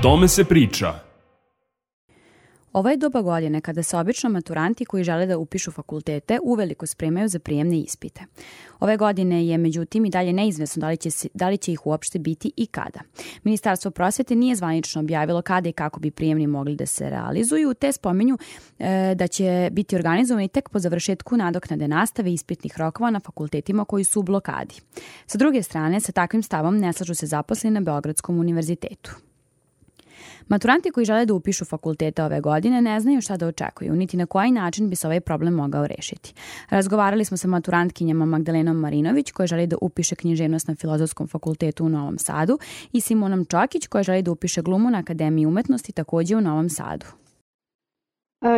Tome se priča. Ovo je doba godine kada se obično maturanti koji žele da upišu fakultete uveliko spremaju za prijemne ispite. Ove godine je međutim i dalje neizvesno da li će ih uopšte biti i kada. Ministarstvo prosvete nije zvanično objavilo kada i kako bi prijemni mogli da se realizuju, te spominju da će biti organizovani tek po završetku nadoknade nastave i ispitnih rokova na fakultetima koji su u blokadi. Sa druge strane, sa takvim stavom ne slažu se zaposleni na Beogradskom univerzitetu. Maturanti koji žele da upišu fakultete ove godine ne znaju šta da očekuju, niti na koji način bi se ovaj problem mogao rešiti. Razgovarali smo sa maturantkinjama Magdalenom Marinović, koja želi da upiše književnost na Filozofskom fakultetu u Novom Sadu, i Simonom Čokić, koja želi da upiše glumu na Akademiji umetnosti takođe u Novom Sadu.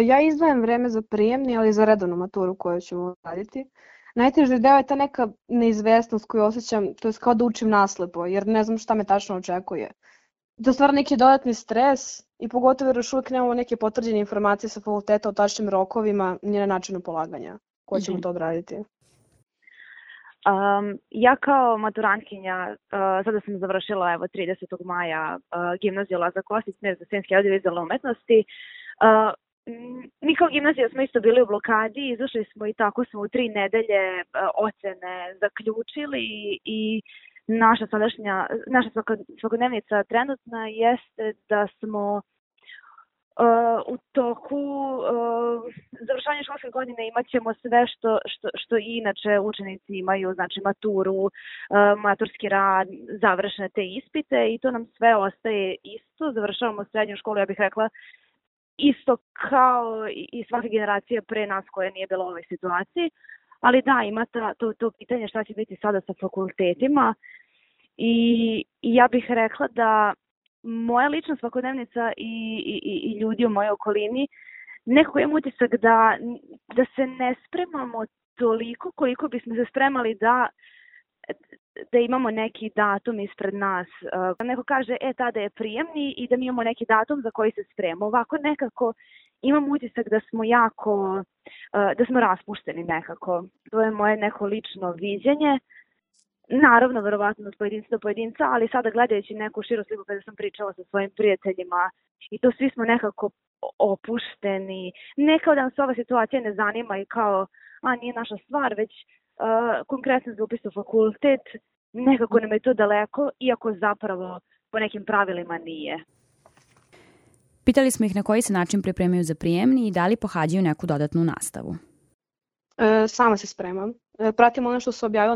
Ja izdvajam vreme za prijemni, ali za redovnu maturu koju ćemo raditi. Najteži deo je ta neka neizvesnost koju osjećam, to je kao da učim naslepo, jer ne znam šta me tačno očekuje. To stvara neki dodatni stres i pogotovo jer još uvijek nemamo neke potvrđene informacije sa fakulteta o tačnim rokovima ni na načinu polaganja. Ko ćemo to odraditi? Ja kao maturantkinja, sada sam završila 30. maja gimnaziju Lazar Kostić, smjer za scenske i audiovizualne umetnosti. Mi kao gimnazija smo isto bili u blokadi, izašli smo i tako smo u 3 nedelje ocene zaključili i naša svakodnevnica trenutna jeste da smo u toku završavanja školske godine imat ćemo sve što i inače učenici imaju, znači maturu, maturski rad, završene te ispite i to nam sve ostaje isto. Završavamo srednju školu, ja bih rekla, isto kao i svaka generacija pre nas koja nije bila u ovoj situaciji. Ali da, ima to pitanje šta će biti sada sa fakultetima i ja bih rekla da moja lična svakodnevnica i ljudi u mojoj okolini nekako imam utisak da se ne spremamo toliko koliko bismo se spremali da imamo neki datum ispred nas. Neko kaže, tada je prijemni i da mi imamo neki datum za koji se spremamo. Ovako nekako imam utisak da smo da smo raspušteni nekako. To je moje neko lično viđenje. Naravno, verovatno od pojedinca do pojedinca, ali sada gledajući neku širu sliku kada sam pričala sa svojim prijateljima i to svi smo nekako opušteni. Ne kao da nam se ova situacija ne zanima i kao, nije naša stvar, već konkretno za upis u fakultet, nekako nam je to daleko, iako zapravo po nekim pravilima nije. Pitali smo ih na koji se način pripremaju za prijemni i da li pohađaju neku dodatnu nastavu. Sama se spremam. Pratim ono što se objavilo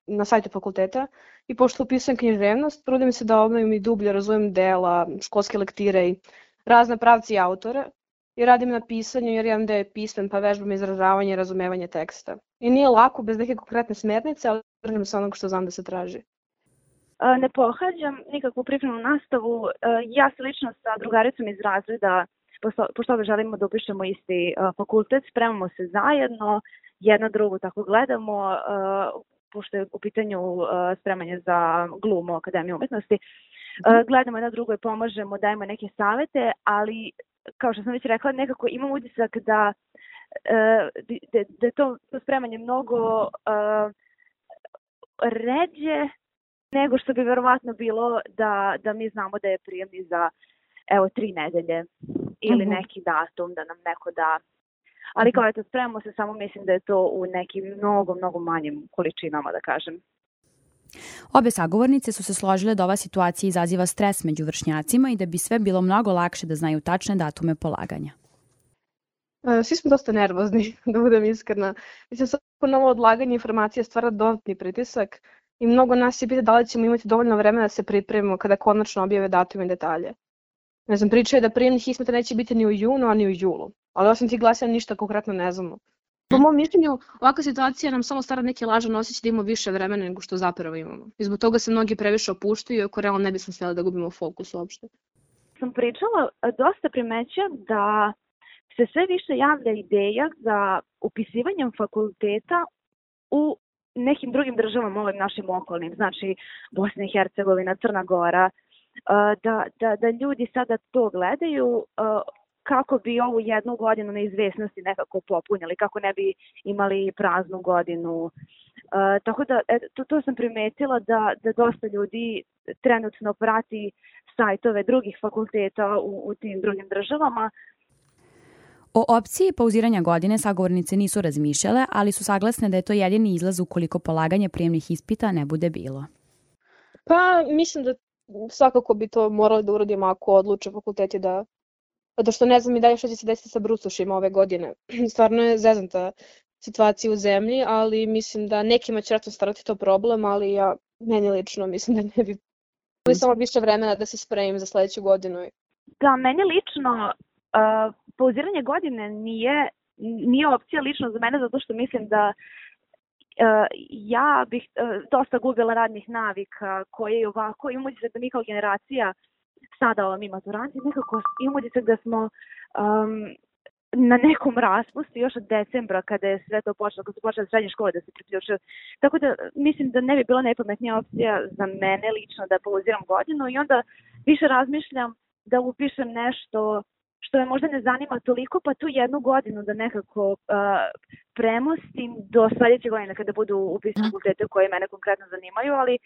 na sajtu fakulteta i pošto upisujem književnost, trudim se da obnovim i dublje razumem dela, školske lektire i razne pravci i autore i radim na pisanju jer imam da je pismen pa vežbam izražavanje i razumevanje teksta. I nije lako bez neke konkretne smernice, ali držim se onog što znam da se traži. Ne pohađam nikakvu pripremnu nastavu. Ja se lično sa drugaricom iz razreda, pošto obe želimo da upišemo isti fakultet, spremamo se zajedno, jedna drugu tako gledamo, pošto je u pitanju spremanje za glumu Akademije umetnosti. Gledamo jedna drugo i pomažemo, dajemo neke savete, ali kao što sam već rekla, nekako imam utisak da je to spremanje mnogo ređe nego što bi verovatno bilo da mi znamo da je prijemni za 3 nedelje ili neki datum da nam neko da. Ali kao spremamo se, samo mislim da je to u nekim mnogo manjim količinama, da kažem. Obe sagovornice su se složile da ova situacija izaziva stres među vršnjacima i da bi sve bilo mnogo lakše da znaju tačne datume polaganja. Svi smo dosta nervozni, da budem iskrena. Mislim, svako novo odlaganje informacija stvara dodatni pritisak i mnogo nas je pita da li ćemo imati dovoljno vremena da se pripremimo kada konačno objave datume i detalje. Ne znam, priča je da prijemnih ispita neće biti ni u junu, a ni u julu. Ali osim tih glasanja ništa konkretno ne znamo. Po mom mišljenju, ovakva situacija nam samo stvara neki lažan osjećaj da imamo više vremena nego što zapravo imamo. I zbog toga se mnogi previše opuštaju, iako realno ne bismo smjeli da gubimo fokus uopšte. Sam pričala, dosta primećujem da se sve više javlja ideja za upisivanjem fakulteta u nekim drugim državama, ovim našim okolnim, znači Bosna i Hercegovina, Crna Gora, da ljudi sada to gledaju kako bi ovu jednu godinu neizvesnosti nekako popunjali, kako ne bi imali praznu godinu. Tako da to sam primetila da dosta ljudi trenutno prati sajtove drugih fakulteta u tim drugim državama. O opciji pauziranja godine sagovornice nisu razmišljale, ali su saglasne da je to jedini izlaz ukoliko polaganje prijemnih ispita ne bude bilo. Pa mislim da svakako bi to morali da uradimo ako odluče fakulteti da... Zato što ne znam i dalje što će se desiti sa brucošima ove godine. Stvarno je zeznuta situacija u zemlji, ali mislim da nekima će vjerojatno starati to problem, ali meni lično mislim da ne bi bilo samo više vremena da se spremim za sledeću godinu. Da, meni lično pauziranje godine nije opcija lično za mene, zato što mislim da ja bih dosta gubila radnih navika koje je ovako, imamo se da mi kao generacija sada mi maturanti nekako imamo se da smo na nekom raspustu još od decembra kada je sve to počelo, kada su počele srednje škole da se priključuju. Tako da mislim da ne bi bila najpametnija opcija za mene lično da pauziram godinu i onda više razmišljam da upišem nešto što me možda ne zanima toliko, pa tu jednu godinu da nekako premostim do sledeće godine kada budu upisane fakultete koje mene konkretno zanimaju, ali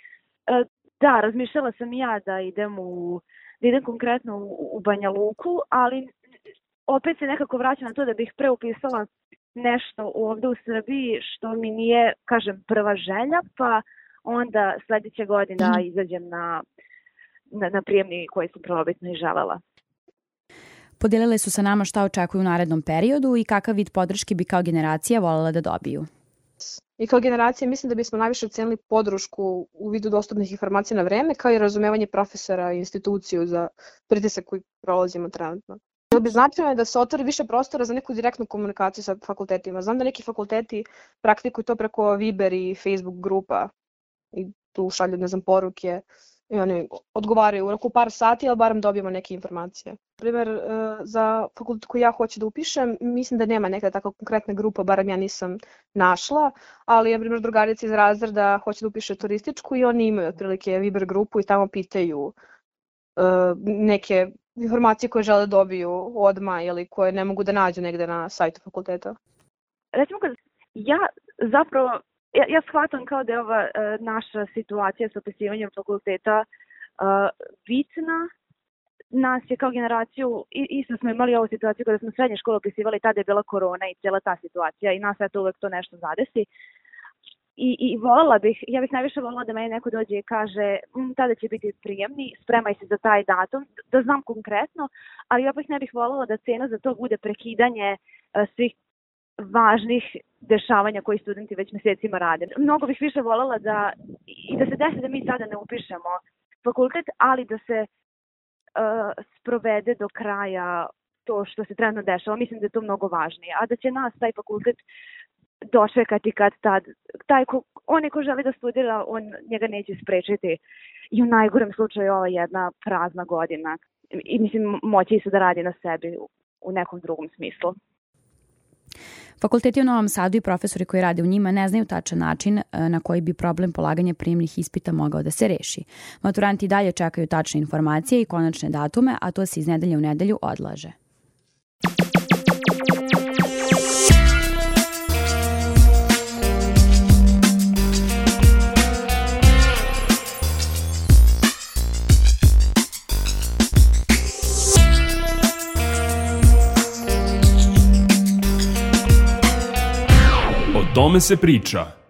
da, razmišljala sam i ja da idem konkretno u Banja Luku, ali opet se nekako vraćam na to da bih preupisala nešto ovde u Srbiji što mi nije, kažem, prva želja, pa onda sledeće godine izađem na prijemni koji sam prvobitno i želela. Podijelile su sa nama šta očekuju u narednom periodu i kakav vid podrške bi kao generacija voljela da dobiju. I kao generacija mislim da bismo najviše ocenili podršku u vidu dostupnih informacija na vreme, kao i razumevanje profesora i instituciju za pritisak koji prolazimo trenutno. Bilo bi značajno da se otvori više prostora za neku direktnu komunikaciju sa fakultetima. Znam da neki fakulteti praktikuju to preko Viber i Facebook grupa i tu šalju, poruke i oni odgovaraju u roku par sati, ali barem dobijemo neke informacije. Primer, za fakultet koji ja hoću da upišem, mislim da nema neka tako konkretna grupa, barem ja nisam našla, ali, na primjer, drugarica iz razreda hoće da upiše turističku i oni imaju otprilike Viber grupu i tamo pitaju neke informacije koje žele da dobiju odmah ili koje ne mogu da nađu negde na sajtu fakulteta. Recimo, ja shvatam kao da je ova naša situacija sa upisivanjem fakulteta bitna. Nas je kao generaciju, isto smo imali ovu situaciju kada smo srednje škole upisivali, tada je bila korona i cijela ta situacija i nas eto uvek to nešto zadesi. I ja bih najviše volila da meni neko dođe i kaže tada će biti prijemni, spremaj se za taj datum, da znam konkretno, ali opet ne bih volila da cena za to bude prekidanje svih važnih dešavanja koji studenti već mesecima rade. Mnogo bih više voljela da se desi da mi sada ne upišemo fakultet, ali da se sprovede do kraja to što se trenutno dešava. Mislim da je to mnogo važnije. A da će nas taj fakultet dočekati kad tad. Onaj ko želi da studira, njega neće sprečiti. I u najgorem slučaju ova jedna prazna godina. I mislim, moći se da radi na sebi u nekom drugom smislu. Fakulteti u Novom Sadu i profesori koji rade u njima ne znaju tačan način na koji bi problem polaganja prijemnih ispita mogao da se reši. Maturanti dalje čekaju tačne informacije i konačne datume, a to se iz nedelje u nedelju odlaže. O tome se priča.